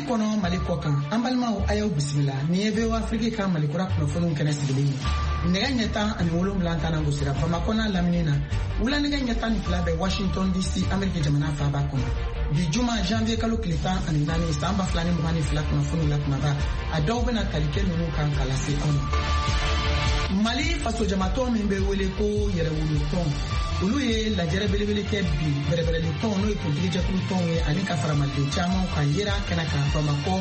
Kɔnɔ, Mali kɔ kan, an balimaw, a y'aw bisimila. Nin ye VOA Afrique ka Mali kura kunnafoniw kɛnɛ sigilen ye. Nɛgɛ ɲɛ 17 tan na gosira Bamakɔ n'a lamini na, wula nɛgɛ ɲɛ 12 bɛ Washington DC, Ameriki jamana faaba kɔnɔ. Bi juma, janvier kalo tile 14, san 2022, kunnafoniw la kumaba, a dɔw bɛna tali kɛ ninnu kan ka lase aw ma. Mali fasojamatɔn min bɛ wele ko Yɛrɛwolo tɔn, olu ye lajɛrɛ belebele kɛ bi. Bɛrɛbɛrɛli tɔn, n'o ye politiki jɛkulu tɔnw ye, ani ka fara maliden caman kan, yera kɛnɛ kan Bamakɔ,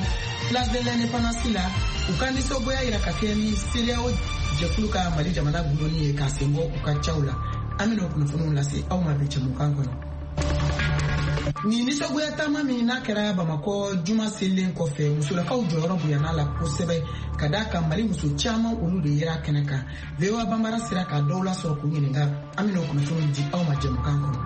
Place de l'Indépendance la, u ka nisɔngoya yira ka kɛ ni CEDEAO jɛkulu ka Mali jamana gulonni ye k'a sen bɔ u ka caw la. An bɛna o kunnafoniw lase aw ma bi jɛmukan kɔnɔ. Nin nisɔngoya taama min n'a kɛra Bamakɔ juma selen kɔfɛ, musolakaw jɔyɔrɔ bonyana la kosɛbɛ, ka d'a kan Mali muso caman, olu de yera kɛnɛ kan. VOA Banbara sera ka dɔw lasɔrɔ k'u ɲininka. An bɛna o kunnafoniw di aw ma jɛmukan kɔnɔ.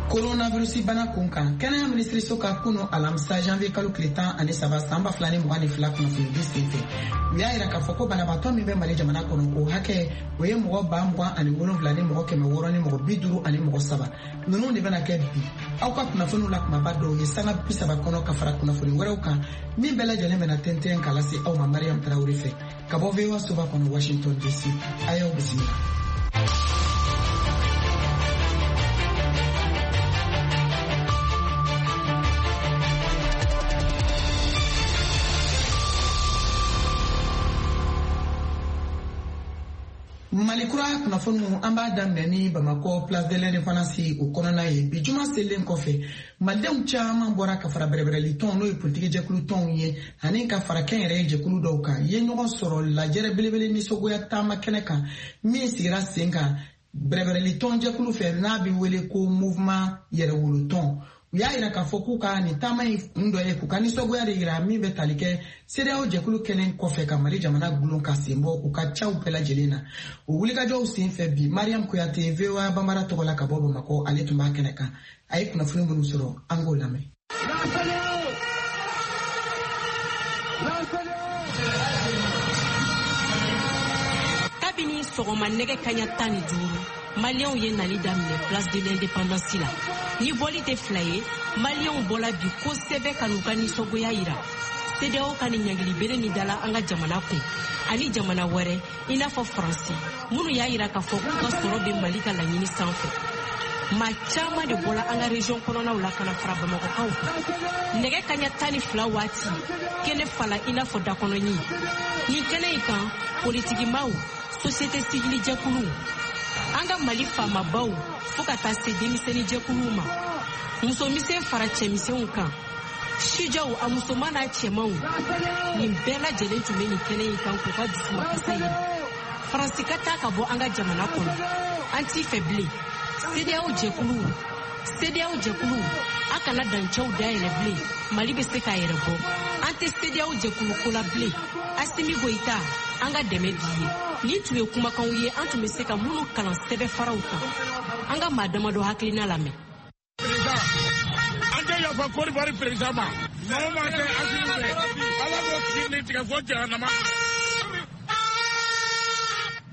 Coronavirus bana kun kan, kɛnɛya minisiriso ka kunu alamisa, janvier kalo tile 13, san 2022 kunnafoni di senfɛ, u y'a yira k'a fɔ ko banabaatɔ min bɛ Mali jamana kɔnɔ, o hakɛ o ye mɔgɔ 27 653. Ninnu de bɛna kɛ bi aw ka kunnafoniw la kumaba dɔw ye sanga 30 kɔnɔ, ka fara kunnafoni wɛrɛw kan min bɛɛ lajɛlen bɛna tɛntɛn ka lase aw ma Mariam Tarawele fɛ ka bɔ VOA soba kɔnɔ, Washington DC. A y'aw bisimila. Mali kura kunnafoniw, an b'a daminɛ ni Bamakɔ, Place de l'Indépendance o kɔnɔna ye. Bi juma selen kɔfɛ, malidenw caman bɔra ka fara bɛrɛbɛrɛli tɔn, n'o ye politiki jɛkulu tɔnw ye, ani ka fara kɛnyɛrɛye jɛkulu dɔw kan, ye ɲɔgɔn sɔrɔ lajɛrɛ belebele nisɔngoya taama kɛnɛ kan min sigira sen kan bɛrɛbɛrɛli tɔn jɛkulu fɛ, n'a bɛ wele ko Mouvement Yɛrɛwolo tɔn. U y'a yira k'a fɔ k'u ka nin taama in kun dɔ ye k'u ka nisɔngoya de yira min bɛ tali kɛ CEDEAO jɛkulu kɛlen kɔfɛ ka Mali jamana gulon ka sen bɔ u ka caw bɛɛ lajɛlen na. O wulikajɔw sen fɛ bi, Mariam Kuyate, VOA Banbara tɔgɔ la ka bɔ Bamakɔ, ale tun b'a kɛnɛ kan. A ye kunnafoni minnu sɔrɔ, an k'o lamɛn. Kabini sɔgɔma nɛgɛ kaɲa 15, maliyɛnw ye nali daminɛ Place de l'Indépendance la. Ni bɔli tɛ fila ye, maliyɛnw bɔla bi kosɛbɛ ka n'u ka nisɔngoya yira CEDEAO ka nin ɲangilibere min dala an ka jamana kun ani jamana wɛrɛ, i n'a fɔ Faransi, minnu y'a yira k'a fɔ k'u ka sɔrɔ bɛ Mali ka laɲini sanfɛ. Maa caman de bɔla an ka région kɔnɔnaw la ka na fara bamakɔkaw kan. Nɛgɛ kaɲa 12 waati, kɛnɛ fala i n'a fɔ dakɔnɔɲin. Nin kɛnɛ in kan, politikimaw, société civile jɛkuluw, an ka Mali faamabaw, fo ka taa se denmisɛnnin jɛkuluw ma, musomisɛn fara cɛmisɛnw kan, sijaw, a musoman n'a cɛmanw, nin bɛɛ lajɛlen tun bɛ nin kɛnɛ in kan k'u ka dusumakasa yira. Faransi ka taa ka bɔ an ka jamana kɔnɔ, an t'i fɛ bilen. CEDEAO jɛkulu, CEDEAO jɛkulu, a kana dancɛw dayɛlɛ bilen, Mali bɛ se k'a yɛrɛ bɔ. An tɛ CEDEAO jɛkulu ko la bilen. Asimi Goyita, an ka dɛmɛ b'i ye. Nin tun ye kumakanw ye an tun bɛ se ka minnu kalan sɛbɛnfaraw kan. An ka maa damadɔ hakilina lamɛn. An tɛ yafa Côte d'Ivoire président ma. Maa o maa tɛ Asimi fɛ, Ala k'o tigi ni tigɛ fo jahanama.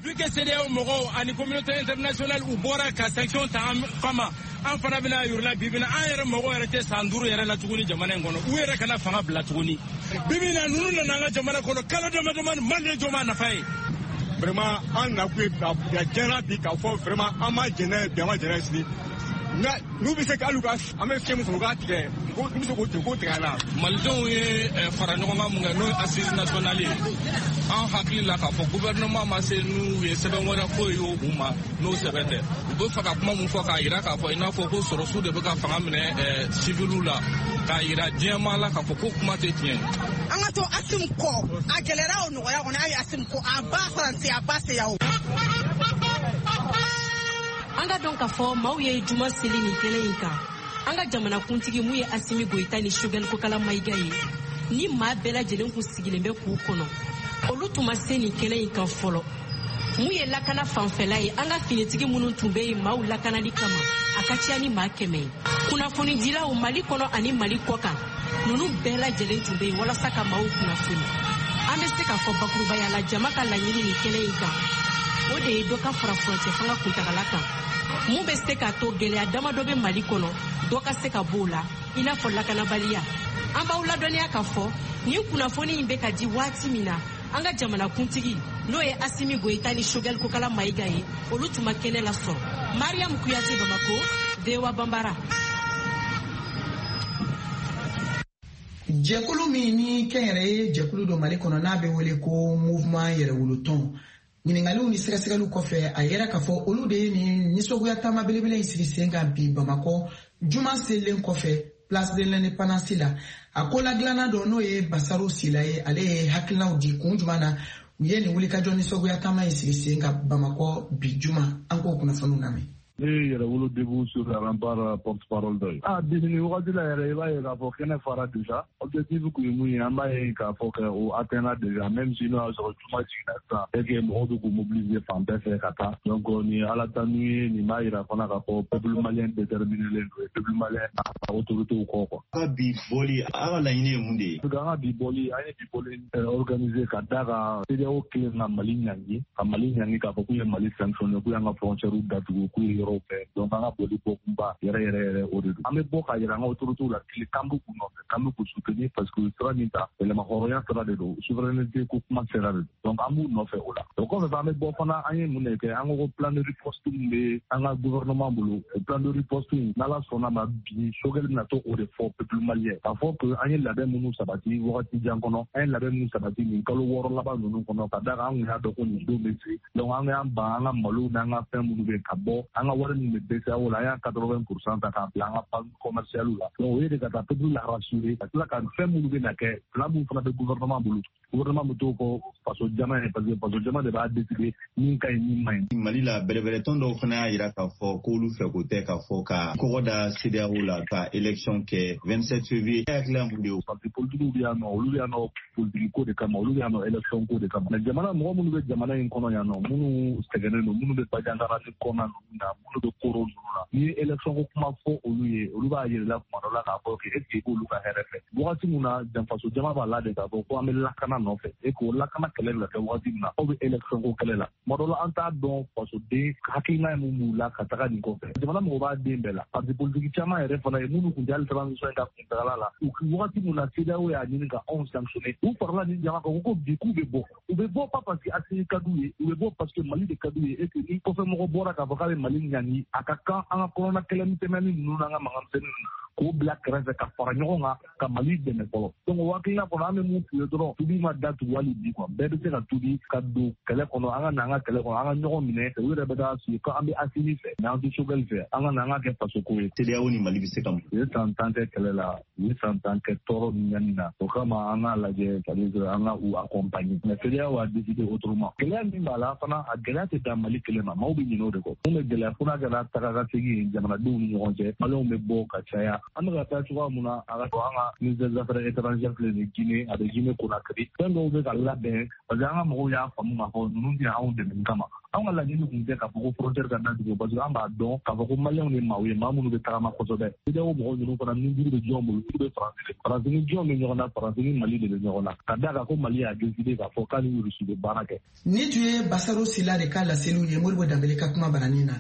Vu que CEDEAO mɔgɔw ani communauté internationale u bɔra ka sanction ta an kama, an fana bɛna yir'u bi bi, an yɛrɛ mɔgɔw yɛrɛ tɛ san 5 yɛrɛ la tuguni jamana in kɔnɔ. U yɛrɛ kana fanga bila tuguni. Bi bi in na, ninnu nana an ka jamana kɔnɔ kalo dama damani, maliyɛn jɔn b'a nafa ye? Vraiment, an nakun ye ka diɲɛ bi k'a fɔ vraiment an ma jɛn n'a ye bi, an ma jɛn n'a ye sini. Nka n'u bɛ se ka hali u ka an bɛ fiɲɛ min sɔrɔ, u k'a tigɛ, n'u bɛ se k'o tigɛ, k'o tigɛ an na. Malidenw ye fara ɲɔgɔn kan mun kɛ, n'o ye assise nationale ye, an hakili la k'a fɔ gouvernement ma se n'u ye sɛbɛn wɛrɛ foyi ye u ma n'o sɛbɛn tɛ. U bɛ fɛ ka kuma mun fɔ k'a yira k'a fɔ i n'a fɔ ko sɔrɔsiw de bɛ ka fanga minɛ civiliw la, k'a yira diɲɛmaa la k'a fɔ ko kuma tɛ tiɲɛ ye. An ka to Asim kɔ, a gɛlɛyara o nɔgɔya kɔnɔ, an ye Asim kɔ, a ba Faransi, a ba CEDEAO. An ka dɔn k'a fɔ maaw ye juma seli nin kɛnɛ in kan. An ka jamanakuntigi mun ye Asimi Goyita ni Choguel Kokala Mayiga ye, ni maa bɛɛ lajɛlen kun sigilen bɛ k'u kɔnɔ, olu tun ma se nin kɛnɛ in kan fɔlɔ. Mun ye lakana fanfɛla ye, an ka finitigi minnu tun bɛ yen maaw lakanali kama, a ka ca ni maa 100 ye. Kunnafonidilaw Mali kɔnɔ ani Mali kɔ kan, ninnu bɛɛ lajɛlen tun bɛ yen walasa ka maaw kunnafoni. An bɛ se k'a fɔ bakurubaya la, jama ka laɲini nin kɛnɛ in kan, O de ye dɔ ka fara furancɛ fanga kuntagala kan, mun bɛ se k'a to gɛlɛya damadɔ bɛ Mali kɔnɔ, dɔ ka se ka b'o la, i n'a fɔ lakanabaliya. An b'aw ladɔnniya k'a fɔ nin kunnafoni in bɛ ka di waati min na, an ka jamanakuntigi, n'o ye Asimi Goyita ni Choguel Kokala Mayiga ye, olu tun ma kɛnɛ lasɔrɔ. Mariam Kuyate, Bamako, VOA Banbara. Jɛkulu min ni kɛnyɛrɛye jɛkulu don Mali kɔnɔ, n'a bɛ wele ko Mouvement Yɛrɛwolotɔn, ɲiningaliw ni sɛgɛsɛgɛliw kɔfɛ, a yɛrɛ k'a fɔ olu de ye nin nisɔngoya taama belebele in sigi sen kan bi Bamakɔ, juma selen kɔfɛ, Place de l'Indépendance la. A ko ladilanna dɔ, n'o ye Basaru Sila ye, ale ye hakilinaw di kun jumɛn na u ye nin wulikajɔ nisɔngoya taama in sigi sen kan Bamakɔ bi juma. An k'o kunnafoniw lamɛn. Ne ye Yɛrɛwolo Debout sur les Remparts porte parole dɔ ye. A bi nin wagati la yɛrɛ, i b'a ye k'a fɔ kɛnɛ fara déjà. Objectif kun ye mun ye, an b'a ye k'a fɔ kɛ o atteindra déjà, même si n'o y'a sɔrɔ juma jiginna sisan et que mɔgɔw bɛ k'u mobiliser fan bɛɛ fɛ ka taa. Donc nin ye Ala tanu ye, nin b'a yira fana k'a fɔ peuple malien déterminé len don, peuple malien a autorité kɔ quoi. Ka bi bɔli, a ka laɲini ye mun de ye? An ka bi bɔli, an ye bi bɔli organiser ka da kan CEDEAO kelen ka Mali ɲangi, ka Mali ɲangi k'a fɔ k'u ye Mali sanctionné, k'u y'an ka frontière datugu, k'u ye yɔrɔw fɛ. Donc an ka bɔli bɔkunba yɛrɛ yɛrɛ yɛrɛ, o de don. An bɛ bɔ k'a yira an ka autorités la tile k'an bɛ k'u nɔfɛ, k'an bɛ k'u soutenir, parce que sira min ta, yɛlɛma hɔrɔnya sira de don, souveraineté ko kuma sira de don. Donc an b'u nɔfɛ o la. O kɔfɛ, an bɛ bɔ fana, an ye mun de kɛ? An ko ko plan de riposte min bɛ an ka gouvernement bolo, o plan de riposte in, n'Ala sɔnna ma, bi Choguel bɛna to o de fɔ peuple malien, k'a fɔ que an ye labɛn minnu sabati wagati jan kɔnɔ, an ye labɛn minnu sabati nin kalo 6 laban ninnu kɔnɔ, ka da kan an kun y'a dɔn ko nin don bɛ se. Donc an y'an ban an ka malo n'an ka fɛn minnu bɛ ka bɔ, an ka wari min bɛ BCEAO la, an y'a 80 % ta k'a bila an ka banque commerciale la. Donc o ye de ka taa peuple la rassurer, ka tila ka fɛn minnu bɛ na kɛ, plan minnu fana bɛ gouvernement bolo, gouvernement bɛ t'o fɔ faso jama ye, parce que faso jama de b'a décider min ka ɲi, min man ɲi. Mali la, bɛrɛbɛrɛtɔn dɔw fana y'a yira k'a fɔ k'olu fɛ ko tɛ k'a fɔ ka kɔgɔ da CEDEAO la ka élection kɛ 27 février. E hakilila mun de ye? Parti politique bɛ yan nɔ, olu bɛ yan nɔ politique ko de kama, olu bɛ yan nɔ élection ko de kama. Mais jamana mɔgɔ minnu bɛ jamana in kɔnɔ yan nɔ, minnu sɛgɛnnen don, minnu bɛ Bandiagara ni kɔnɔna ninnu na, minnu bɛ Koro ninnu na, n'i ye élection ko kuma fɔ olu ye, olu b'a yir'i la tuma dɔ la k'a fɔ que est ce que i b'olu ka hɛrɛ fɛ? Wagati min na faso jama b'a la de k'a fɔ ko an bɛ lakana nɔfɛ, e k'o lakana kɛlɛ bɛ ka kɛ wagati min na, aw bɛ élection ko kɛlɛ la. Tuma dɔ la, an t'a dɔn fasoden hakilina ye mun b'u la ka taga nin kɔfɛ. Jamana mɔgɔ b'a den bɛɛ la. Parti politique caman yɛrɛ fana ye minnu kun tɛ hali transition in ka kuntagala la, u wagati min na CEDEAO y'a ɲini ka anw sanctionner, u farala nin jama kan ko bi k'u bɛ bɔ. U bɛ bɔ pas parce que Assimi ka d'u ye, u bɛ bɔ parce que Mali de ka d'u ye, et que ni kɔfɛ mɔgɔ bɔra k'a fɔ k'a bɛ Mali ɲangi, a ka kan an ka kɔnɔna kɛlɛ misɛnmanin ninnu n'an ka mankan misɛnnin ninnu k'o bila kɛrɛfɛ ka fara ɲɔgɔn kan ka Mali dɛmɛ fɔlɔ. Donc o hakilina kɔnɔ, an bɛ mun f'u ye dɔrɔn, tubi ma datugu hali bi quoi, bɛɛ bɛ se ka tubi ka don kɛlɛ kɔnɔ. An ka na an ka kɛlɛ kɔnɔ, an ka ɲɔgɔn minɛ. U yɛrɛ bɛ taa sigi ko an bɛ Assimi fɛ mais an tɛ Choguel fɛ, an ka na an ka kɛ faso ko ye. CEDEAO ni Mali bɛ se ka mun? U ye san 10 kɛ kɛlɛ la, u ye san 10 kɛ tɔɔrɔ ni ɲani na. O kama an k'a lajɛ, c'est à dire an ka u accompagner, mais CEDEAO a décidé autrement. Gɛlɛya min b'a la fana, a gɛlɛya tɛ dan Mali kelen ma, maaw bɛ ɲinɛ o de kɔ. Mun bɛ gɛlɛya fo n'a kɛra taga ka segin ye jamanadenw ni ɲɔgɔn cɛ, Maliyɛnw bɛ bɔ ka caya. An bɛ ka taa cogoya mun na, a ka an ka ministère des Affaires étrangères filɛ nin Guinée, a bɛ Guinée Conakry, fɛn dɔw bɛ ka labɛn, parce que an ka mɔgɔw y'a faamu k'a fɔ ninnu tɛ anw dɛmɛ kama. Anw ka laɲini tun tɛ k'a fɔ ko frontière ka datugu, parce que an b'a dɔn k'a fɔ ko Maliyɛnw de maaw ye, maa minnu bɛ tagama kosɛbɛ. CEDEAO mɔgɔw ninnu fana, ni juru bɛ jɔn bolo? Juru bɛ Faransi de. Faransi ni jɔn bɛ ɲɔgɔn na? Faransi ni Mali de bɛ ɲɔgɔn na, ka d'a kan ko Mali y'a décidé k'a fɔ k'a ni Rusi bɛ baara kɛ. Ni tun ye Basaro Sila de ka laseliw ye Modibo Danbele ka kuma baranin na.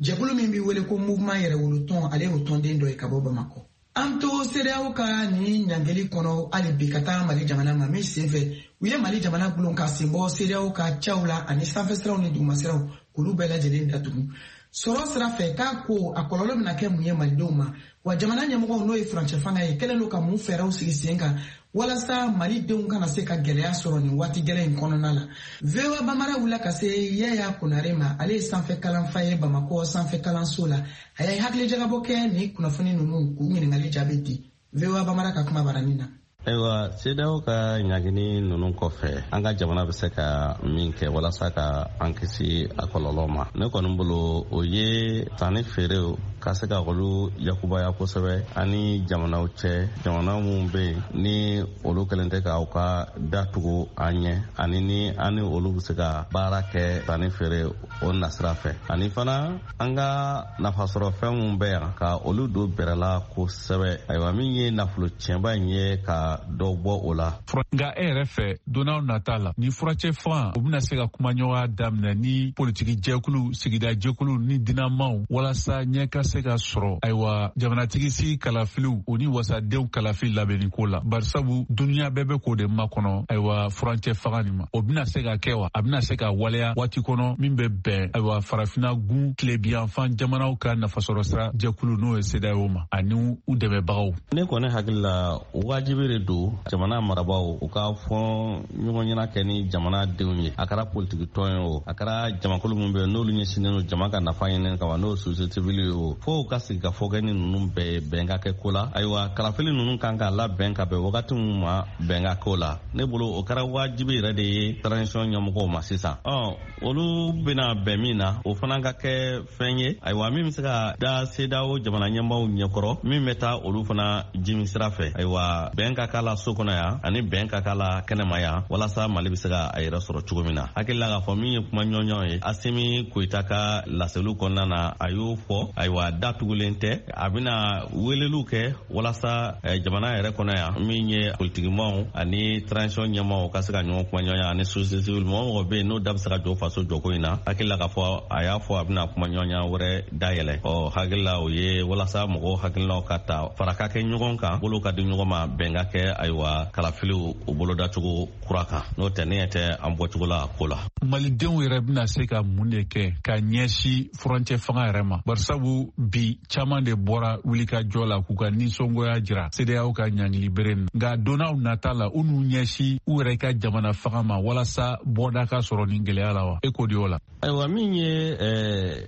Jɛkulu min bɛ wele ko Mouvement Yɛrɛwolotɔn, ale y'o tɔnden dɔ ye ka bɔ Bamakɔ. An to CEDEAO ka nin ɲangeli kɔnɔ hali bi, ka taa Mali jamana ma min senfɛ, u ye Mali jamana gulon ka sen bɔ CEDEAO ka caw la, ani sanfɛsiraw ni dugumasiraw, k'olu bɛɛ lajɛlen datugu. Sɔrɔ sira fɛ, k'a ko a kɔlɔlɔ bɛna kɛ mun ye malidenw ma? Wa jamana ɲɛmɔgɔw, n'o ye furancɛ fanga ye, kɛlen don ka mun fɛɛrɛw sigi sen kan walasa malidenw kana se ka gɛlɛya sɔrɔ nin waati gɛlɛn in kɔnɔna la? VOA Bamara wulila ka se Yaya Konare ma. Ale ye sanfɛ kalanfa ye Bamakɔ sanfɛ kalanso la. A ye hakilijagabɔ kɛ ni kunnafoni ninnu, k'u ɲininkali jaabi di VOA Bamara ka kuma baranin na. Ayiwa, CEDEAO ka ɲagini ninnu kɔfɛ, an ka jamana bɛ se ka min kɛ walasa ka an kisi a kɔlɔlɔ ma, ne kɔni bolo, o ye sanni feerew ka se ka olu yakubaya kosɛbɛ ani jamanaw cɛ, jamana minnu bɛ yen ni olu kɛlen tɛ k'aw ka datugu an ɲɛ, ani ni an ni olu bɛ se ka baara kɛ sanni feere o nasira fɛ, ani fana an ka nafasɔrɔ fɛn minnu bɛ yan, ka olu don bɛrɛ la kosɛbɛ. Ayiwa, min ye nafolo tiɲɛba in ye ka ka dɔ bɔ o la. Nka e yɛrɛ fɛ, donnaw nata la, ni furancɛ fanga u bɛna se ka kumaɲɔgɔnya daminɛ ni politiki jɛkulu, sigida jɛkulu ni dinamaw, walasa ɲɛ ka se ka sɔrɔ ayiwa jamanatigi sigi kalafiliw o ni wasadenw kalafili labɛnni ko la, barisabu duniya bɛɛ bɛ k'o de makɔnɔ ayiwa furancɛ fanga nin ma. O bɛna se ka kɛ wa? A bɛna se ka waleya waati kɔnɔ min bɛ bɛn ayiwa farafinna gun tilebiyanfan jamanaw ka nafasɔrɔ sira jɛkulu n'o ye CEDEAO ma ani u dɛmɛbagaw? Ne kɔni hakili la, wajibi de don jamana marabaaw u ka fɔ ɲɔgɔn ɲɛna kɛ ni jamana denw ye. A kɛra politiki tɔn ye o, a kɛra jamakulu min bɛ yen n'olu ɲɛsinnen don jama ka nafa ɲini kama, n'o ye société civile ye o, fo u ka sigi ka fɔ kɛ ni ninnu bɛɛ ye, bɛn ka kɛ ko la. Ayiwa, kalafili ninnu kan ka labɛn ka bɛn wagati min ma, bɛn ka k'o la. Ne bolo, o kɛra wajibi yɛrɛ de ye transition ɲɛmɔgɔw ma sisan. Ɔ, olu bɛna bɛn min na, o fana ka kɛ fɛn ye, ayiwa, min bɛ se ka da CEDEAO jamana ɲɛmaaw ɲɛkɔrɔ, min bɛ taa olu fana jimi sira fɛ. Ayiwa, bɛn ka k'a la so kɔnɔ yan ani bɛn ka k'a la kɛnɛma yan, walasa Mali bɛ se ka a yɛrɛ sɔrɔ cogo min na. Hakili la k'a fɔ min ye kuma ɲɔgɔnɲɔgɔn ye, Asimi Koyita ka laseliw kɔnɔna na, a y'o fɔ. Ayiwa, da tugulen tɛ, a bɛna weleliw kɛ walasa jamana yɛrɛ kɔnɔ yan, min ye politikimaw ani transition ɲɛmaaw ka se ka ɲɔgɔn kuma ɲɔgɔnya, ani société civile, mɔgɔ mɔgɔ bɛ yen n'o da bɛ se ka jɔ faso jɔko in na. Hakili la k'a fɔ a y'a fɔ a bɛna kuma ɲɔgɔnya wɛrɛ dayɛlɛ. Ɔ, hakili la o ye walasa mɔgɔw hakilinaw ka ta, fara ka kɛ ɲɔgɔn kan, bolo ka di ɲɔgɔn ma, bɛn ka kɛ ayiwa kalafiliw o bolodacogo kura kan. N'o tɛ, ne ɲɛ tɛ an bɔcogo la a ko la. Malidenw yɛrɛ bɛna se ka mun de kɛ ka ɲɛsin furancɛ fanga yɛrɛ ma? Barisabu bi caman de bɔra wulikajɔ la k'u ka nisɔngoya jira CEDEAO ka ɲangili bere nin. Nka donnaw nata la, u n'u ɲɛsin u yɛrɛ ka jamana fanga ma walasa bɔda ka sɔrɔ nin gɛlɛya la wa? E ko di o la? Ayiwa, min ye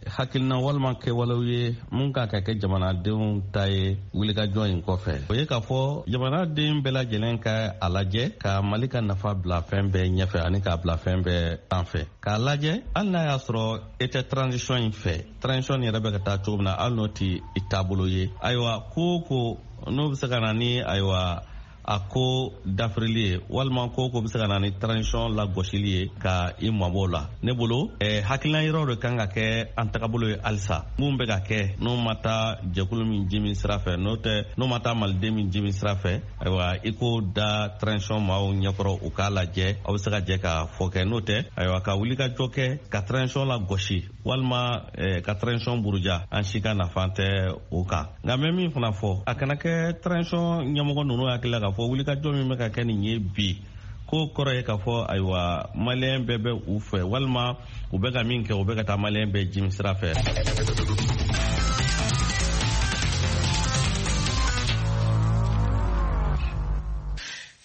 hakilina walima kɛwalew ye mun kan ka kɛ jamanadenw ta ye wulikajɔ in kɔfɛ, o ye k'a fɔ jamanaden bɛɛ lajɛlen ka a lajɛ ka Mali ka nafa bila fɛn bɛɛ ɲɛfɛ ani k'a bila fɛn bɛɛ sanfɛ, k'a lajɛ hali n'a y'a sɔrɔ e tɛ transition in fɛ, transition yɛrɛ bɛ ka taa cogo min na, hali n'o tɛ i taabolo ye, ayiwa, ko o ko n'o bɛ se ka na ni ayiwa a ko dafirili ye, walima ko ko bɛ se ka na ni transition lagosili ye, ka i mabɔ la. Ne bolo, hakilina yɔrɔ de kan ka kɛ an tagabolo ye halisa. Mun bɛ ka kɛ, n'o ma taa jɛkulu min ji min sira fɛ, n'o tɛ, n'o ma taa maliden min ji min sira fɛ, ayiwa, i k'o da transition maaw ɲɛkɔrɔ, u k'a lajɛ, aw bɛ se ka jɛ ka fɔ kɛ. N'o tɛ, ayiwa, ka wuli ka jɔ kɛ ka transition lagosi walima ka transition buruja, an si ka nafa tɛ o kan. Nka n bɛ min fana fɔ, a kana kɛ transition ɲɛmɔgɔ ninnu hakili la k'a fɔ wulikajɔ min bɛ ka kɛ nin ye bi, ko kɔrɔ ye k'a fɔ ayiwa maliyɛn bɛɛ bɛ u fɛ, walima u bɛ ka min kɛ, u bɛ ka taa maliyɛn bɛɛ jimi sira fɛ.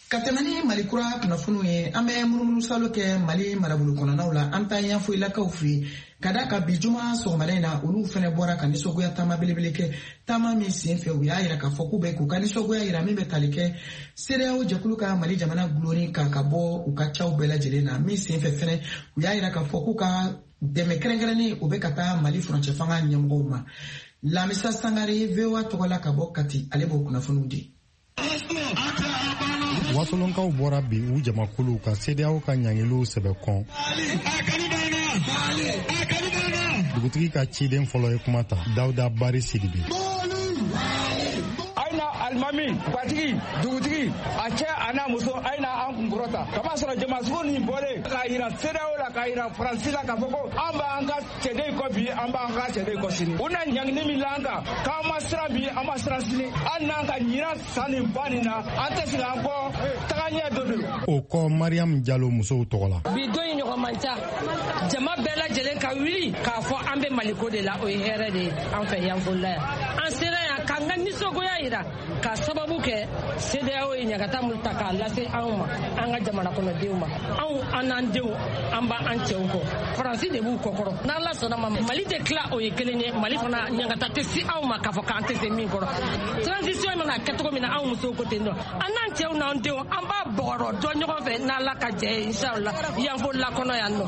Ka tɛmɛ ni Mali kura kunnafoniw ye, an bɛ munumunu salo kɛ Mali marabolo kɔnɔnaw la. An taa Yanfolilakaw fɛ yen, ka da ka bi juma sɔgɔmada in na, olu fɛnɛ bɔra ka nisɔngoya taama belebele kɛ, taama min sen fɛ u y'a yira k'a fɔ k'u bɛ k'u ka nisɔngoya yira min bɛ tali kɛ CEDEAO jɛkulu ka Mali jamana gulonni kan ka bɔ u ka caw bɛɛ lajɛlen na. Min sen fɛ fɛnɛ, u y'a yira k'a fɔ k'u ka dɛmɛ kɛrɛnkɛrɛnnen o bɛ ka taa Mali furancɛ fanga ɲɛmɔgɔw ma. Lamisa Sangare, VOA tɔgɔ la ka bɔ Kati, ale b'o kunnafoniw di. Wasolonkaw bɔra bi u jamakulu ka CEDEAO ka ɲangiliw sɛbɛ kɔn. Dugutigi ka ciden fɔlɔ ye kuma ta, Dawuda Bari Sidibe. Alimami, batigi, dugutigi, a cɛ a n'a muso, a ye na an kunkɔrɔ ta kama sɔrɔ jamasugu nin bɔlen k'a yira CEDEAO la, k'a yira Faransi la, k'a fɔ ko an b'an ka cɛden kɔ bi, an b'an ka cɛden kɔ sini. U na ɲangini min la an kan, k'an ma siran bi, an ma siran sini, hali n'an ka ɲinan san nin ba nin na, an tɛ segin an kɔ, taga ɲɛ dɔ don. O kɔ, Mariam Jalo, musow tɔgɔ la. Bi don in ɲɔgɔn man ca, jama bɛɛ lajɛlen ka wuli k'a fɔ an bɛ Maliko de la, o ye hɛrɛ de ye an fɛ Yanfolila yan. An sera yan k'an ka nisɔngoya yira ka sababu kɛ CEDEAO ye ɲagata min ta k'a lase anw ma, an ka jamana kɔnɔdenw ma. Anw, an n'an denw, an b'an cɛw kɔ, Faransi de b'u kɔkɔrɔ. N'Ala sɔnna ma, Mali tɛ tila, o ye kelen ye. Mali fana ɲagata tɛ si anw ma k'a fɔ k'an tɛ se min kɔrɔ. Transition mana kɛ cogo min na, anw musow ko ten nɔ, an n'an cɛw n'an denw, an b'a bɔgɔrɔ dɔn ɲɔgɔn fɛ n'Ala ka jɛ ye, inshallah, Yanfolila kɔnɔ yan nɔ.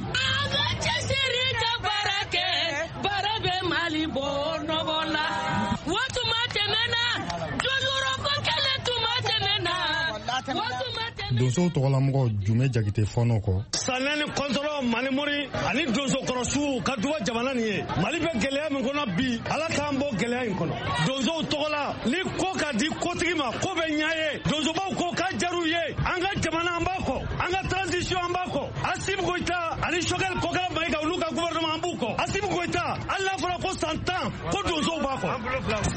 An ka cɛsiri ka baara kɛ, baara bɛ Mali bɔ nɔgɔ la. Waatuma tɛmɛna, jɔyɔrɔko kɛlɛ tuma tɛmɛna. Donsow tɔgɔlamɔgɔ Jume Jakite fɔnɔ kɔ. Sanɛ ni kɔntɔrɔ Malimori ani donsokɔrɔsuw ka duba jamana nin ye. Mali bɛ gɛlɛya min kɔnɔ bi, Ala k'an bɔ gɛlɛya in kɔnɔ. Donsow tɔgɔ la, ni ko ka di ko Assimi Goïta ani Choguel Kokalla Maïga olu ka gouvernement an b'u kɔ. Assimi Goïta hali n'a fɔra ko san 10 ko donsow b'a kɔ.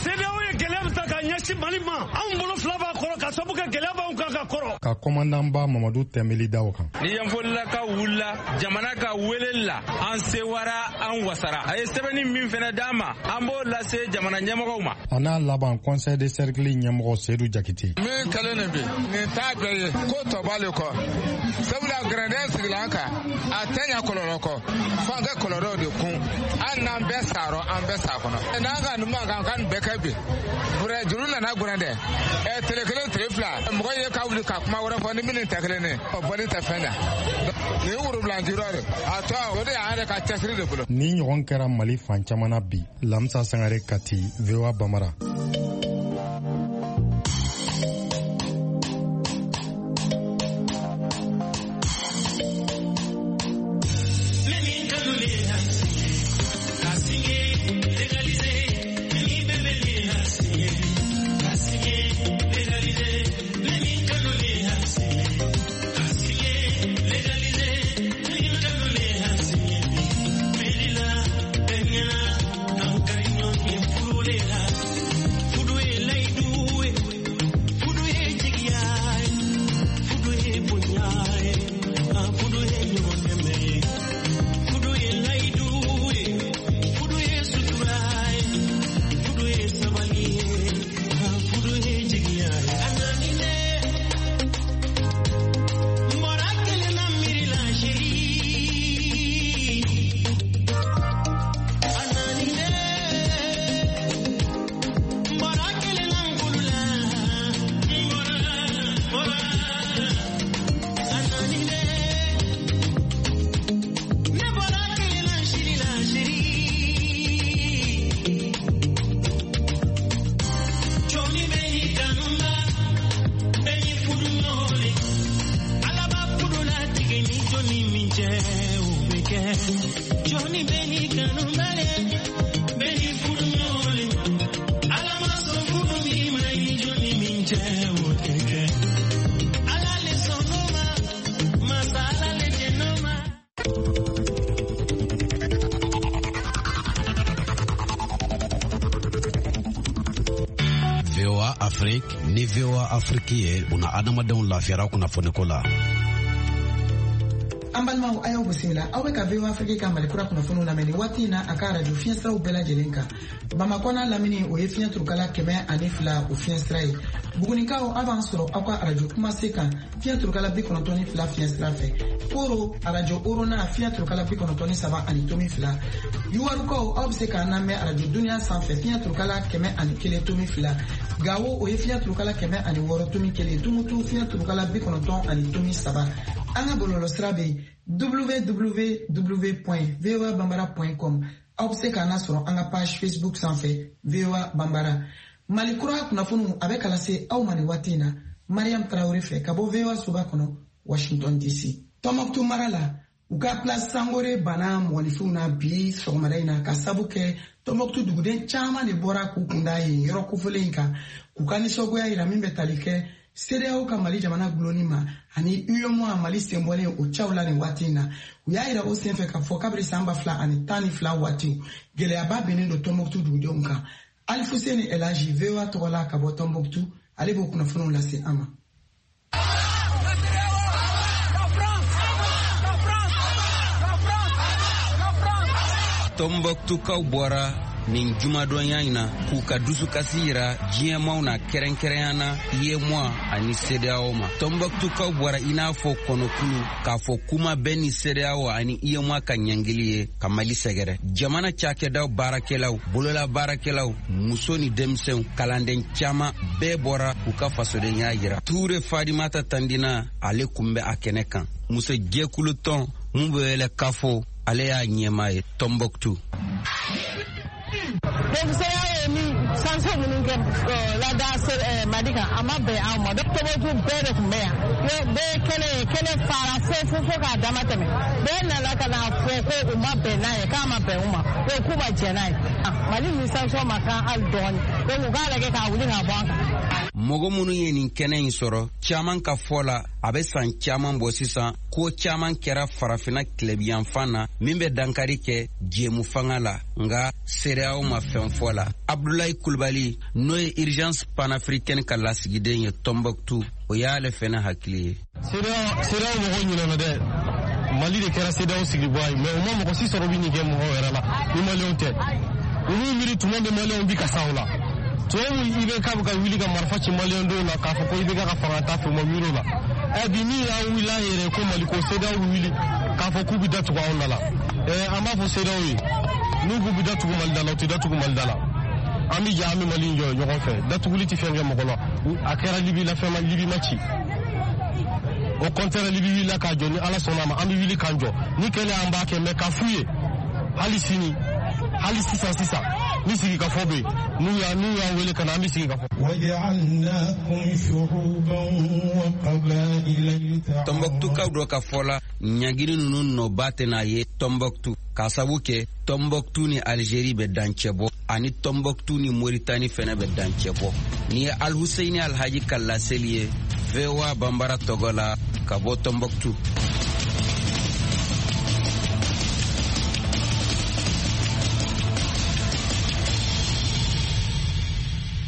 CEDEAO ye gɛlɛya min ta k'a ɲɛsin Mali ma, anw bolo fila b'a kɔrɔ ka sababu kɛ gɛlɛya b'anw kan ka kɔrɔ. Ka kɔmandanba Mamadu Tɛnbeli da o kan. Ni Yanfolilakaw wulila jamana ka weleli la, an sewara, an wasara. A ye sɛbɛnni min fɛnɛ d'an ma, an b'o lase jamana ɲɛmɔgɔw ma. A n'a laban conseil de cercle ɲɛmɔgɔ Seydou Jakite. Min kɛlen nin bi, nin t'a bɛɛ ye, ko tɔ b'ale kɔ. Sabula gɛrɛndɛn sigila an kan, a tɛ ɲɛ kɔlɔlɔ kɔ. F'an ka kɔlɔlɔw de kun. Hali n'an bɛɛ sarɔ, an bɛɛ sa kɔnɔ. N'an ka nin mankan ka nin bɛɛ kɛ bi. Juru nana gɛrɛndɛ. Tile kelen tile fila, mɔgɔ ye ka wuli ka kuma wɛrɛ fɔ ni minnu tɛ kelen ye, o bɔli tɛ fɛn ɲɛ. Nin ye worobilanjira de, a tɔ o de y'an yɛrɛ ka cɛsiri de bolo. Ni ɲɔgɔn kɛra Mali fan caman na bi. Lamisa Sangare, Kati, VOA Bamara. VOA Afrique ni VOA Afrique ye una adamadenw lafiyara kunnafoniko la. An balimaw, a y'aw bisimila. Aw bɛ ka VOA Afrique ka Mali kura kunnafoniw lamɛn nin waati in na a ka arajo fiɲɛsiraw bɛɛ lajɛlen kan. Bamakɔ n'a lamini, o ye fiɲɛ turukala 102 o fiɲɛsira ye. Bugunikaw, aw b'an sɔrɔ aw ka arajo kumase kan fiɲɛ turukala 92 fiɲɛsira fɛ. Koro, arajo Orona, fiɲɛ turukala 93.2. Yuwarukaw, aw bɛ se k'an lamɛn arajo Duniya sanfɛ fiɲɛ turukala 101.2. Gawo, o ye fiɲɛ turukala 106.1. Tumutu, fiɲɛ turukala 90.3. An ka bɔlɔlɔsira bɛ yen www.voabambara.com. Aw bɛ se k'an lasɔrɔ an ka page Facebook sanfɛ VOA Bambara. Mali kura kunnafoniw a bɛ ka lase aw ma nin waati in na Mariam Tarawele fɛ ka bɔ VOA soba kɔnɔ Washington DC. Tɔnbɔkutu mara la, u ka place Sangore banna mɔgɔninfinw na bi sɔgɔmada in na ka sabu kɛ Tɔnbɔkutu duguden caman de bɔra k'u kunda yen yɔrɔ kofɔlen in kan k'u ka nisɔngoya yira min bɛ tali kɛ CEDEAO ka Mali jamana gulonni ma ani UEMOA Mali senbɔlen o caw la nin waati in na. U y'a yira o senfɛ k'a fɔ kabiri san 2012 waati, gɛlɛyaba binnen don Tɔnbɔkutu dugudenw kan. Alifuseni Elaji, VOA tɔgɔ la ka bɔ Tɔnbɔkutu, ale b'o kunnafoniw lase an ma. Tɔnbɔkutukaw bɔra nin jumadonya in na k'u ka dusukasi yira diɲɛmaw na, kɛrɛnkɛrɛnya na UEMOA ani CEDEAO ma. Tɔnbɔkutukaw bɔra i n'a fɔ kɔnɔkulu k'a fɔ kuma bɛɛ ni CEDEAO ani UEMOA ka ɲangili ye ka Mali sɛgɛrɛ. Jamana cakɛdaw baarakɛlaw, bolola baarakɛlaw, muso ni denmisɛnw, kalanden caman bɛɛ bɔra k'u ka fasodenya yira. Ture Fadimata Tandina, ale kun bɛ a kɛnɛ kan. Muso jɛkulu tɔn mun bɛ wele Kafo, ale y'a ɲɛmaa ye Tɔnbɔkutu. Donc CEDEAO ye min sanction minnu kɛ lada Mali kan, a ma bɛn anw ma. Tɔnbɔkutu bɛɛ de tun bɛ yan, bɛɛ kɛlɛ ye, kɛlɛ fara fo fo fo k'a dama tɛmɛ. Bɛɛ nana ka na fɔ ko u ma bɛn n'a ye, k'a ma bɛn u ma, ko k'u ma jɛn n'a ye. Mali ni sanction ma kan hali dɔɔni, donc u k'a lajɛ k'a wuli k'a bɔ an kan. Mɔgɔ minnu ye nin kɛnɛ in sɔrɔ, caman ka fɔ la, a bɛ san caman bɔ sisan, ko caman kɛra farafinna tilebinyanfan na min bɛ dankari kɛ jɛmu fanga la, nka CEDEAO ma fɛn fɔ la. Abdulayi Kulubali, n'o ye Urgence panafricaine ka lasigiden ye Tombouctou, o y'ale fɛnɛ hakili ye. CEDEAO mɔgɔw ɲinɛna dɛ. Mali de kɛra CEDEAO sigibaa ye, mais u ma mɔgɔ si sɔrɔ bi nin kɛ mɔgɔw yɛrɛ la ni maliyɛnw tɛ. Olu miiri tuma bɛ maliyɛnw bi ka sa o la. Tubabu IBK bɛ ka wuli ka marifa ci maliyɛn denw na k'a fɔ ko IBK ka fanga t'a fɛ, u ma miiri o la. Bi min y'an wuli an yɛrɛ ko Mali ko CEDEAO bɛ wuli k'a fɔ k'u bɛ datugu anw da la. An b'a fɔ CEDEAO ye, n'u k'u bɛ datugu Mali da la, u tɛ datugu Mali da la. An bɛ jɛ, an bɛ Mali jɔ ɲɔgɔn fɛ. Datuguli tɛ fɛn kɛ mɔgɔ la. A kɛra Libi la, fɛn ma Libi ma ci. Au contraire, Libi wulila k'a jɔ, ni Ala sɔnna a ma, an bɛ wuli k'an jɔ. Ni kɛlɛ an b'a kɛ, mais k'a f'u ye hali sini, hali sisan sisan, ni sigikafɔ bɛ yen, n'u y'an wele ka na, an bɛ sigi ka fɔ. Tɔnbɔkutukaw dɔ ka fɔ la, ɲangini ninnu nɔba tɛna ye Tɔnbɔkutu, k'a sabu kɛ Tɔnbɔkutu ni Algérie bɛ dancɛ bɔ, ani Tɔnbɔkutu ni Moritani fɛnɛ bɛ dancɛ bɔ. Nin ye Alhusseini Alhaji ka laseli ye VOA Banbara tɔgɔ la ka bɔ Tɔnbɔkutu.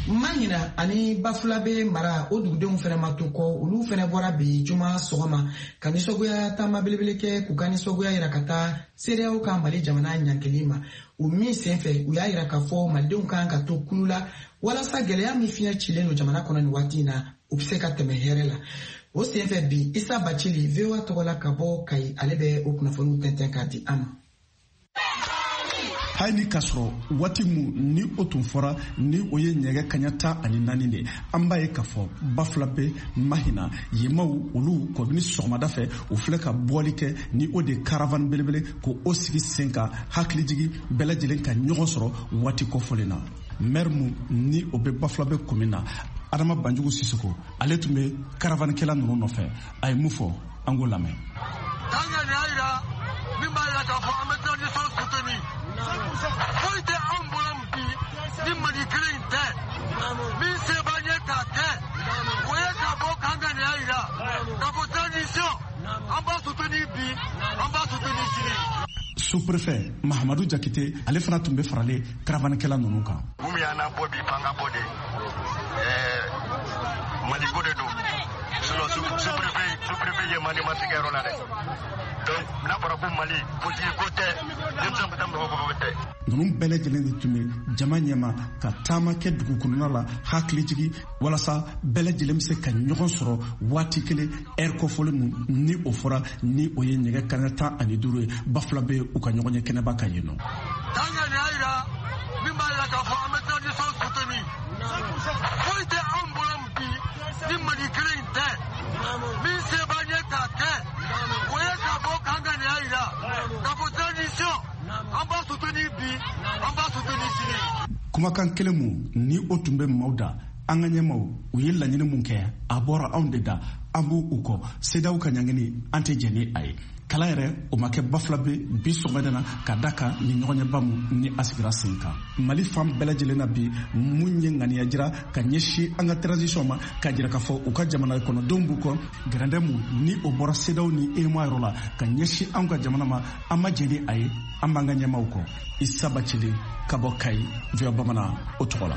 Mahina ani Bafulabe mara, o dugudenw fɛnɛ ma to kɔ. Olu fɛnɛ bɔra bi juma sɔgɔma ka nisɔngoya taama belebele kɛ, k'u ka nisɔngoya yira ka taa CEDEAO ka Mali jamana ɲangili ma. O min senfɛ, u y'a yira k'a fɔ malidenw kan ka to kulu la walasa gɛlɛya min fiɲɛ cilen don jamana kɔnɔ nin waati in na, u bɛ se ka tɛmɛ hɛrɛ la. O senfɛ bi, Isa Bacili, VOA tɔgɔ la ka bɔ Kayi, ale bɛ o kunnafoniw tɛntɛn k'a di an ma. Hali ni k'a sɔrɔ waati mun ni o tun fɔra, ni o ye nɛgɛ kaɲa 14 de, an b'a ye k'a fɔ Bafulabe, Mahina yemaw, olu kɔbini sɔgɔmada fɛ, u filɛ ka bɔli kɛ ni o de caravane belebele ko o sigi sen kan, hakilijigi bɛɛ lajɛlen ka ɲɔgɔn sɔrɔ waati kɔfɔlen na. Maire mun ni o bɛ Bafulabe commune na, Adama Banjugu Sisoko, ale tun bɛ caravankɛla ninnu nɔfɛ. A ye mun fɔ, an k'o lamɛn. Min b'a jira k'a fɔ an bɛ transition soutenir. Foyi tɛ anw bolo bi ni Mali kelen in tɛ. Min se b'an ye k'a kɛ, o ye k'a bɔ k'an ka nin jira k'a fɔ transition, an b'a soutenir bi, an b'a soutenir sini. Sous-préfet Mahamadou Jakite, ale fana tun bɛ faralen caravankɛla ninnu kan. Mun y'an bɔ bi, fanga bɔ de, Mali ko de don. Sinon sous-préfet ye Mali matigɛ yɔrɔ la dɛ. Donc n'a fɔra ko Mali politique ko tɛ, denmisɛn bɛ taa mɔgɔ ko tɛ. Ninnu bɛɛ lajɛlen de tun bɛ jama ɲɛma ka taama kɛ dugu kɔnɔna la, hakili jigi walasa bɛɛ lajɛlen bɛ se ka ɲɔgɔn sɔrɔ waati kelen, ɛri kɔfɔlen mun ni o fɔra, ni o ye nɛgɛ kaɲa 15 ye, Bafulabe u ka ɲɔgɔn ye kɛnɛba kan yen nɔ. Min b'a jira k'a fɔ an bɛ transition soutenir. Foyi tɛ anw bolo bi ni Mali kelen in tɛ. Min se b'an ye k'a kɛ, o ye k'a bɔ k'an ka nin jira k'a fɔ transition, an b'a soutenir bi, an b'a soutenir sini. Kumakan kelen mun ni o tun bɛ maaw da, an ka ɲɛmaw u ye laɲini mun kɛ, a bɔra anw de da, an b'u u kɔ. CEDEAO ka ɲangini, an tɛ jɛn ni a ye. Kalan yɛrɛ o ma kɛ Bafulabe bi sɔgɔmada na, ka da kan ni ɲɔgɔnɲɛba mun ni a sigira sen kan Mali fan bɛɛ lajɛlen na bi, mun ye ŋaniya jira ka ɲɛsin an ka transition ma, ka jira k'a fɔ u ka jamana kɔnɔdenw b'u kɔ. Gɛrɛndɛ mun ni o bɔra CEDEAO ni UEMOA yɔrɔ la ka ɲɛsin anw ka jamana ma, an ma jɛn ni a ye, an b'an ka ɲɛmaw kɔ. Isa Bacili ka bɔ Kayi, VOA Bamanan o tɔgɔ la.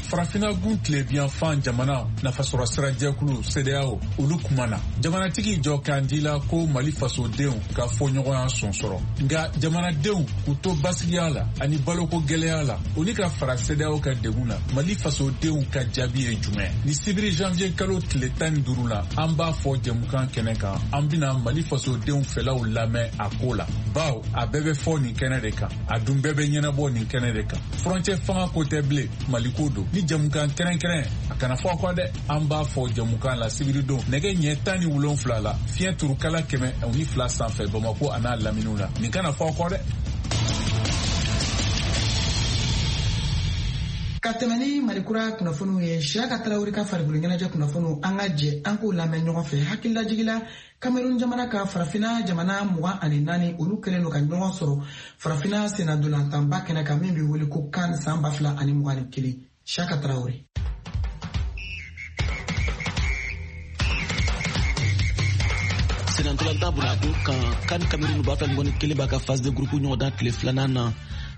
Farafinna gun tilebiyanfan jamana nafasɔrɔ sira jɛkulu CEDEAO, olu kumana. Jamanatigi jɔ kan di la ko Mali fasodenw ka fɔɲɔgɔnya sɔn sɔrɔ, nka jamanadenw k'u to basigiya la ani baloko gɛlɛya la, o ni ka fara CEDEAO ka degun na, Mali fasodenw ka jaabi ye jumɛn? Ni sibiri janvier kalo tile 15 la, an b'a fɔ jɛmukan kɛnɛ kan, an bɛna Mali fasodenw fɛlaw lamɛn a ko la, bawo a bɛɛ bɛ fɔ nin kɛnɛ de kan, a dun bɛɛ bɛ ɲɛnabɔ nin kɛnɛ de kan. Furancɛ fanga ko tɛ bilen, Mali ko don. Ni jɛmukan kɛrɛnkɛrɛn, a kana fɔ a kɔ dɛ, an b'a fɔ jɛmukan la sibiridon nɛgɛ ɲɛ 17 la, fiɲɛ turukala 102 sanfɛ, Bamako a n'a laminiw na. Nin kana fɔ a kɔ dɛ. Ka tɛmɛ ni Malikura kunnafoniw ye, Siyaka Tarawele ka farikolo ɲɛnajɛ kunnafoniw, an ka jɛ an k'o lamɛn ɲɔgɔn fɛ. Hakililajigila, Cameroun jamana ka farafina jamana 24, olu kɛlen don ka ɲɔgɔn sɔrɔ farafina sennadolantanba kɛnɛ kan min bɛ wele ko CAN san 2021. Siyaka Tarawele. Senantolantan bunakun kan, CAN Cameroun 2021 b'a ka phase de groupe ɲɔgɔndan tile filanan na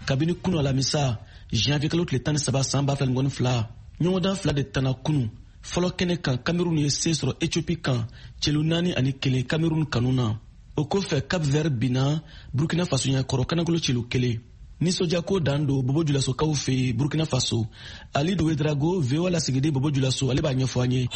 kabini kunu alamisa janvier kalo tile 13 san 2022. Ɲɔgɔndan fila de tana kunu. Fɔlɔ kɛnɛ kan, Cameroun ye se sɔrɔ Ethiopie kan celu 4-1 Cameroun kanu na. O kɔfɛ, Cap Vert binna Burkina Faso ɲɛkɔrɔ kanagolo celu 1. Nisɔndiyako dan don Bobo Julasokaw fɛ yen Burkina Faso. Alidu Wedrago, VOA lasigiden Bobo Julaso, ale b'a ɲɛfɔ an ye.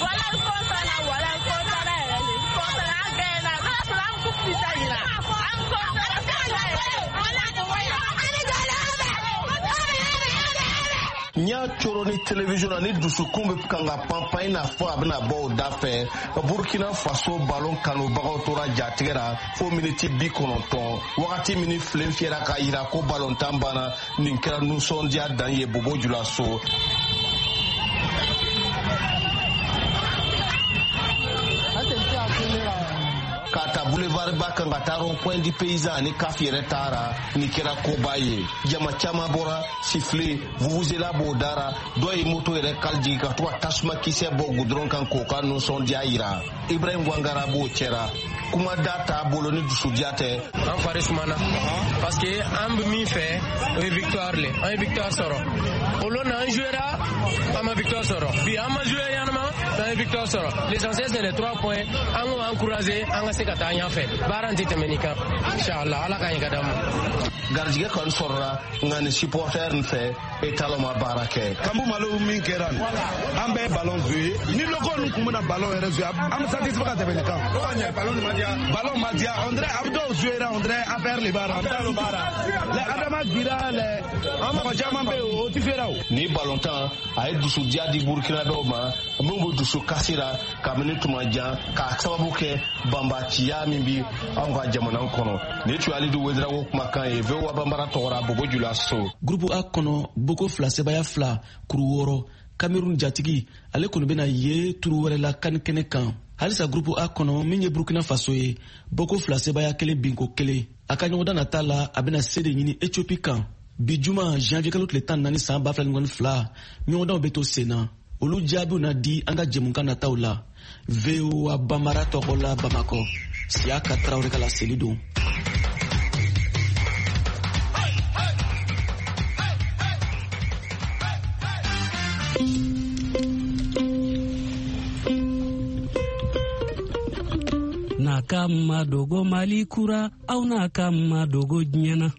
N y'a coro ni télévision na, ni dusukun bɛ kan ka panpan i n'a fɔ a bɛna bɔ o da fɛ. Burkina Faso balon kanubagaw tora jatigɛ la fo miniti 90, wagati min filen fiyɛra k'a yira ko balontan banna. Nin kɛra nisɔndiya dan ye Bobo Julaso. Ka ta boulevard ba kan ka taa rond point du paysan ani CAF yɛrɛ taara, nin kɛra koba ye. Jama caman bɔra, sifflet, vuvuzela b'o dara, dɔw ye moto yɛrɛ kali jigin ka to ka tasuma kisɛ bɔ goudron kan k'o ka nisɔndiya yira. Ibrahim Wangara b'o cɛra, kuma da t'a bolo ni dusudiya tɛ. An fari sumana parce que an bɛ min fɛ, o ye victoire le. An ye victoire sɔrɔ o lon na, an jouera, an ma victoire sɔrɔ. Bi an ma jouer ɲanama, an ye victoire sɔrɔ. L'essentiel, c'est les 3 points. An k'o encourager, an ka se ka taa ɲɛfɛ. Baara in tɛ tɛmɛ nin kan, inchallah. Ala k'an ɲɛ ka d'an ma. Garijɛgɛ kɔni sɔrɔla, nka ni supporter nin fɛ, étalon ma baara kɛ. Kambu Malo min kɛra nin, an bɛɛ ye ballon jouer. Ni locaux ninnu tun bɛna ballon yɛrɛ jouer, an bɛ satisfait ka tɛmɛ nin kan. Ballon ma diya, on dirait a bɛ dɔw jouer, on dirait affaire le b'a la. Les Adama Gira, les mɔgɔ caman bɛ yen, o tɛ fiyɛra o. Ni ballontan a ye dusudiya di Burkinabɛw ma min b'u dusu kasi la kabini tuma jan, k'a sababu kɛ banbaciya min bi anw ka jamana kɔnɔ. Nin tun ye Alidu Wedrago kumakan ye VOA Banbara tɔgɔra Bobo Julaso. Groupe A kɔnɔ, boko 2 sebaya 2 kuru 6, Cameroun jatigi ale kɔni bɛna ye turu wɛrɛ la CAN kɛnɛ kan. Halisa groupe A kɔnɔ, min ye Burkina Faso ye, boko 2 sebaya 1 binko 1. A ka ɲɔgɔndan nata la, a bɛna se de ɲini Ethiopie kan. Bi juma janvier kalo tile 14 san 2022, ɲɔgɔndanw bɛ to sen na. Olu jaabiw na di an ka jɛmukan nataw la. VOA Banbara tɔgɔ la Bamakɔ, Siyaka Tarawele ka laseli don. N'a ka ma dogo Mali kura, aw n'a ka ma dogo diɲɛ na.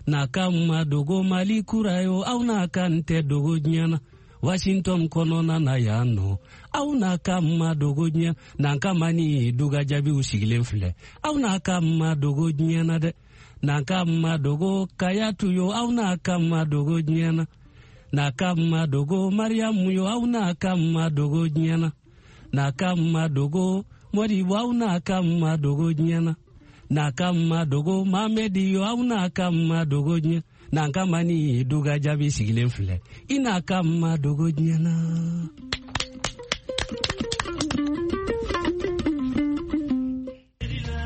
N'a ka ma dogo Mali kura yo, aw n'a ka n tɛ dogo diɲɛ na. Washington kɔnɔna na yan nɔ, aw n'a ka ma dogo diɲɛ. N'an ka ma ni duga jaabiw sigilen filɛ, aw n'a ka ma dogo diɲɛ na dɛ. N'an ka ma dogo Kayatu yo, aw n'a ka ma dogo diɲɛ na. N'a ka ma dogo Mariamu yo, aw n'a ka ma dogo diɲɛ na. N'a ka ma dogo Modibo, aw n'a ka ma dogo diɲɛ na. N'a ka ma dogo Mamedi yo, aw n'a ka ma dogo diɲɛ. N'an ka ma ni duga jaabi sigilen filɛ, i n'a ka ma dogo diɲɛ na.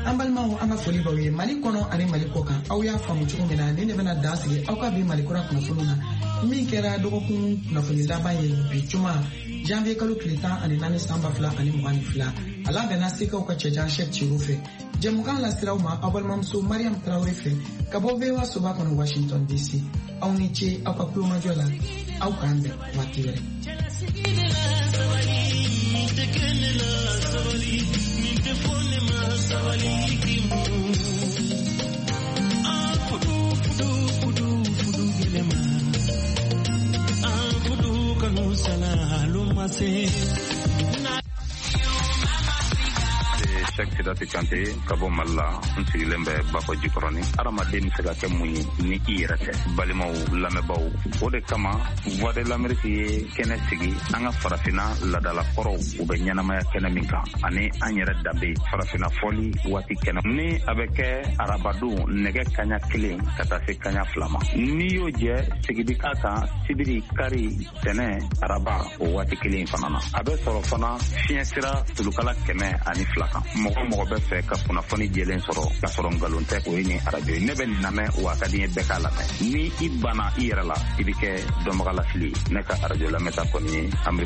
An balimaw, an ka foli b'aw ye Mali kɔnɔ ani Mali kɔ kan. Aw y'a faamu cogo min na, nin de bɛna dan sigi aw ka bi Malikura kunnafoniw na, min kɛra dɔgɔkun kunnafoni laban ye bi juma janvier kalo tile 14 san 2022. A labɛnna Sekaw ka cɛjan Cheick Cero fɛ. Jɛmukan lasiraw ma aw balimamuso Mariam Traoré fɛ ka bɔ VOA soba kɔnɔ Washington DC. Aw ni ce aw ka kulomajɔ la, aw k'an bɛn waati wɛrɛ. Cheick Sidati Kante ka bɔ Mali la, n sigilen bɛ Bakɔ Jikɔrɔni. Hadamaden bɛ se ka kɛ mun ye ni i yɛrɛ tɛ? Balimaw, lamɛnbaaw, o de kama Voix de l'Amérique ye kɛnɛ sigi an ka farafinna ladalakɔrɔw u bɛ ɲɛnamaya kɛnɛ min kan, ani an yɛrɛ danbe farafinna fɔli waati kɛnɛ ni a bɛ kɛ arabadon nɛgɛ kaɲa 1 ka taa se kaɲa 2 ma. N'i y'o jɛ, segin bi k'a kan sibiri, kari, tɛnɛ, araba o waati kelen in fana na. A bɛ sɔrɔ fana fiɲɛ sira tulukala 102 kan. Mɔgɔ mɔgɔ bɛ fɛ ka kunnafoni jɛlen sɔrɔ k'a sɔrɔ nkalon tɛ, o ye nin arajo ye. Ne bɛ nin lamɛn, wa a ka di n ye bɛɛ k'a lamɛn. Ni i banna i yɛrɛ la, i bɛ kɛ dɔnbagalafili ye. Ne ka arajo lamɛnta kɔni ye.